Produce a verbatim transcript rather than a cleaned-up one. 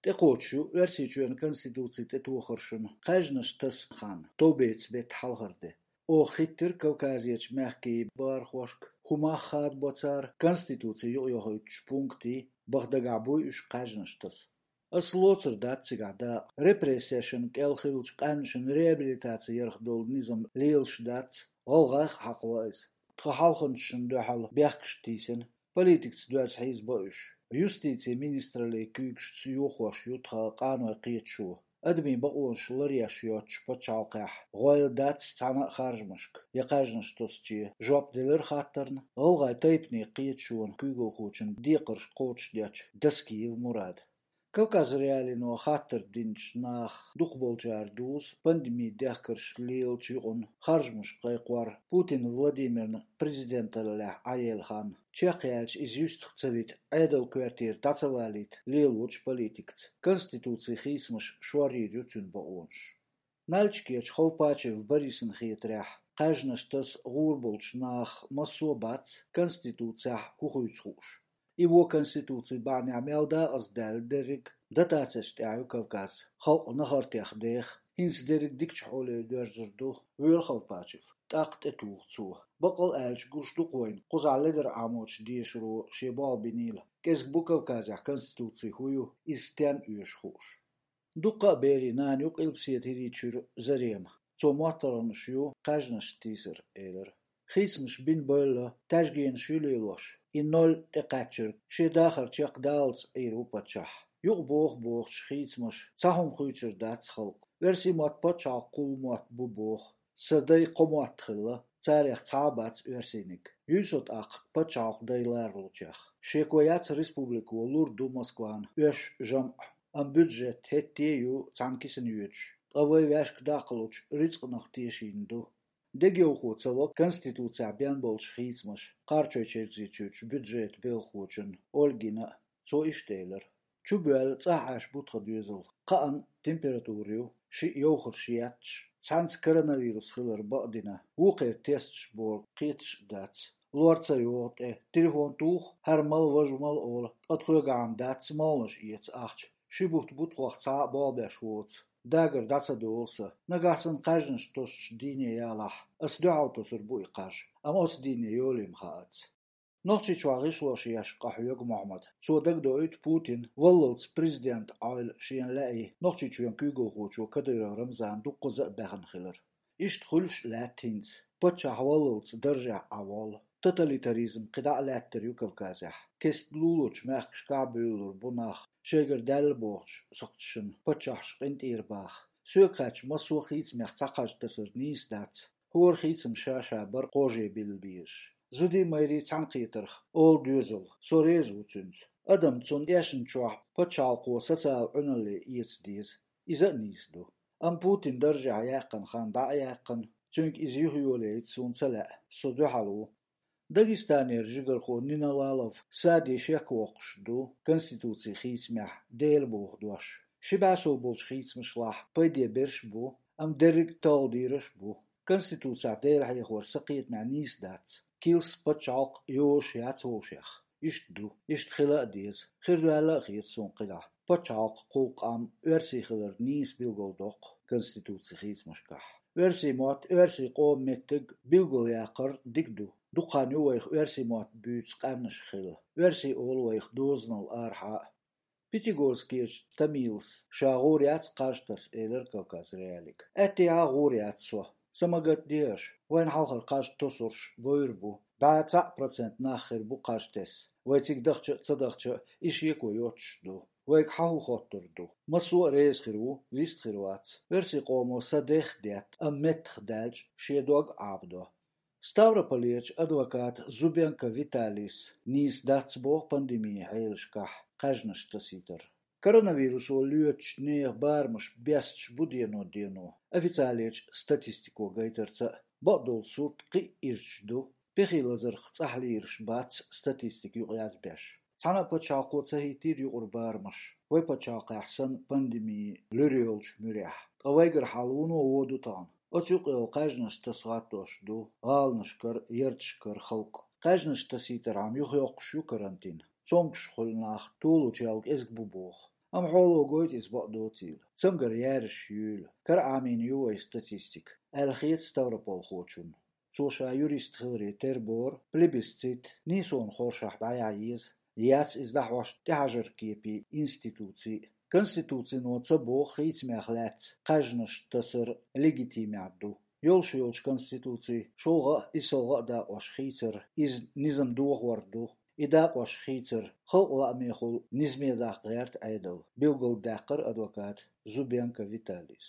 ТӀекхочуш ю Оьрсийчоьнан Конституци тӀетохаршна кхаьжнаш тасса хан товбеца бетта хьалхара де. Оха хиттира Кавказерчу мехкийн бархошка хӀун мах хадабо цара Конституци юкъайохуьйтучу пунктийн, баха дагахь буй уьш кхаьжнаш таса. Ас лоцур дац цигахь дакъа. Репрессешна кӀел хиллачу къаьмнашна реабилитаци ярх долу низам лелаш дац, гӀалгӀайх а хьакхаво иза. Тхан хьалханчашна дуьхьал бехкаш тийсина, политикаца доьзна хьийзабо уьш. Юстицин министраллин куьйгашца йохош ю тхан къанойн кхеташо. Адамийн бакъонаш ларъеш йоцучу пачхьалкхехь гӀойла дац цхьана а харжамашка я кхаьжнаш тосуче, жоп делира хаттарна гӀалгӀайн тайпанийн кхеташонан куьйгалхочун декхарш кхочушдечу Доскиев Мурада. Кавказ.Реалино хаттар динчу нахах дукхахболчара дузу пандемин дехкарш лелачу юкъана харжамаш кхайкхор Путин Владимирна президенталлехь Ӏаелла хан. Чекхъяьлча иза юьстах ца вита, Ӏедалан коьртера дӀа ца валийта лелочу политикаца. Конституцин хийцамаш шорйийр ю цуьнан бакъонаш. Нальчикерчу Ховпачев Борисна хетарехь, кхаьжнаш таса гӀур болчу нахах массо а бац Конституцехь хӀун хуьйцу хууш. И вон Конституцин бахьанехь мел дакъаздаьлла дерриг а дотацешна тӀехь ю Кавказ. Халкъ нахартех деха, хӀинца дерриг дикачу хьоле доьрзур ду, вуьйр Ховпачев. ТӀаккха тӀетуху цо. Баккъал а аьлча, гуш ду-кх вайна, кхузахь ледара Ӏамочу дешаро шен болх бинийла. КӀезиг бу Кавказехь Конституци хӀун ю, иза стенна оьшу хууш. Дуккха а берийн нана ю Къилбаседа ХӀирийчуьра Зарема. Цо моттаргӀанаш ю кхаьжнаш тийсар, элира. Хийцамаш бина бевлла, таьжгенаш ю лелош. И ноль тӀекхаьчнарг шен дахар чекхдаллалц Ӏийр ву паччахь. Юкъа боху-бохучу хийцамаша цхьа хӀума хуьйцур дац халкъ. Оьрсийн мотт пачхьалкхан кхул мотт бу боху. Сан дай кхо мотт хилла, царех цхьа а бац оьрсийниг. Юй со тӀаккха пачхьалкхан дай ларалучех. Шеко яц республико лур ду Москвана оьшуш жамӀ, амма бюджет хӀетте а ю цхьана кисана йоьдуш, ткъа вай ваьшка даккхалучу рицкъанах тешийна ду. Дегайовхо ца ло Конституцехь бен болчу хийцамаш, Кхарачой-Черкзийчуьрчу бюджетан белхахочунна Ольгина а. Цо иштта элира: «Чубоьлла цӀахь Ӏаш бу тхан доьзал. Кхаанна температура ю, шиъ йовхарш етташ, цхьаьнца коронавирус хилар бакъдина, вукхеран тесташ бора кхеташ а дац. Лор ца йогӀу тӀе, телефон туху, хӀара мала, важа мала олу, ткъа тхоьгахь-м дац молханаш эца ахча. Ши бутт бу тхох цхьа а болх беш воцу. Дагар дӀа ца долу сан. Нагахь санна кхаьжнаш тосучу дийне ялахь, ас дуьхьал тосур бу и кхаж. Амма оцу дийне йолий-м хаац». Нохчийчохь гӀишлош еш къахьоьгу Мохьмад. Цо дагадоуьйту Путин валлалц президент Ӏойла шена лаьий Нохчийчоьнан куьйгалхочо Кадыров Рамзан дуккхаза а баьхна хилар. Иштта хуьлуш а лаьтта хӀинца. Паччахь валлалц даржехь Ӏа воллу. Тоталитаризм кхидӀа а лаьттар ю Кавказехь. Кеста лулучу мехкашкахь а буьйлалур бу нах, шайгара даьлла бохучу сакхташна паччахьаш къинтӀера баха. Соьга хаьттича, массо а хийцамех цхьа кхаж тасар нийса дац. ХӀора хийцам ша-ша бара кхаже билла безаш. Зудий, майрий цхьаьнакхетарх олу доьзал, со реза ву цуьнца. Адам цунна эшначохь пачхьалкхо социал Ӏуьналле эца деза. Иза а нийса ду. Амма Путин даржехь яьккхина хан дӀа а яьккхина, цуьнга иза юхайолийта суна ца лаьа, со дуьхьал ву. Дагестанера жигархо Нина Лалов Саде шек воккхуш ду Конституцин хийцамехь Дела боху дош. Ши бӀе сов болчу хийцамашлахь пайде берш а бу, амма дерриг а талхадийраш а бу. Конституцехь Дела хьехор сан кхетамехь нийса дац. Килс пачхьалкх йозуш яц вовшех. Иштта ду, иштта хила а деза. Хир даьлла а хета суна кхидӀа. Пачхьалкх, кхул къам оьрсийн хилар нийса билгалдоккху Конституцин хийцамашкахь. Оьрсийн мотт, оьрсийн къоман меттиг билгалъяккхар дика ду. Дукха хан ю вайх оьрсийн мотт буьйцу къаьмнаш хилла. Оьрсийн олу вайх дозанал арахьа а. Пятигорскерчу Тамилас ша гӀур яц кхаж таса, элира Кавказ.Реалиига. Аьттехьа а гӀур яц со. Са ма гатде аша, вайна хьалхара кхаж тосурш бовр бу. БӀе цхьаъ процент нах хир бу кхаж тесна. Вай цига дахча а, ца дахча а, и шеко йоцуш ду. Вайга хьан хӀун хоттур ду? Массо а реза хир ву, вист хир вац. Оьрсийн къомо сан дех а детта, амма меттах даьлча, шен дог а Ӏабадо. Ставрополерчу адвоката Зубенко Виталийс нийса дац боху пандемин хьелашкахь кхаьжнаш тасийтар. Коронавирусо лоьцучу нехан барамаш бесташ бу дено-дено, официалечу статистико гайтарца а. Бакъдолу сурт кхин а ирча ду. Пехи лазарх цӀахь лийраш бац статистика юкъаязбеш. Цхьана а пачхьалкхо ца хӀиттийра юкъара барамаш, вай пачхьалкхехь санна пандеми луьра йолчу муьрехь. Ткъа вайгара хьал вуно вон ду тахана. Оцу юкъа йолу кхаьжнаш таса гӀаттош ду гӀаланашкара, ярташкара халкъ. Кхаьжнаш тасийтархьама юхайоккхуш ю карантин. Цомгуш хуьлу нах толучу ял кӀезиг бу боху. Амма хьоло гойту иза бакъдоцийла. Цамгар яраш юйла. Кара Ӏамийна ю вай статистика, аьлла хета ставрополхочунна. Цо ша юрист хиларе тера бора плебисцит нийсонан хоршахь дӀаяхьа еза. Яц иза дӀахьош тӀехьажар кепе институций. Конституцино ца боху хийцамех лаьцна кхаьжнаш тасар легитимехь ду. Йолуш йолчу конституций шолгӀа а, исалгӀа а дакъош хийцар иза низам дохор ду. И дакъош хийцар халкъан лаамехула низаме даккха гӀерта Ӏедал, билгалдаьккхира адвоката Зубенко Виталийс.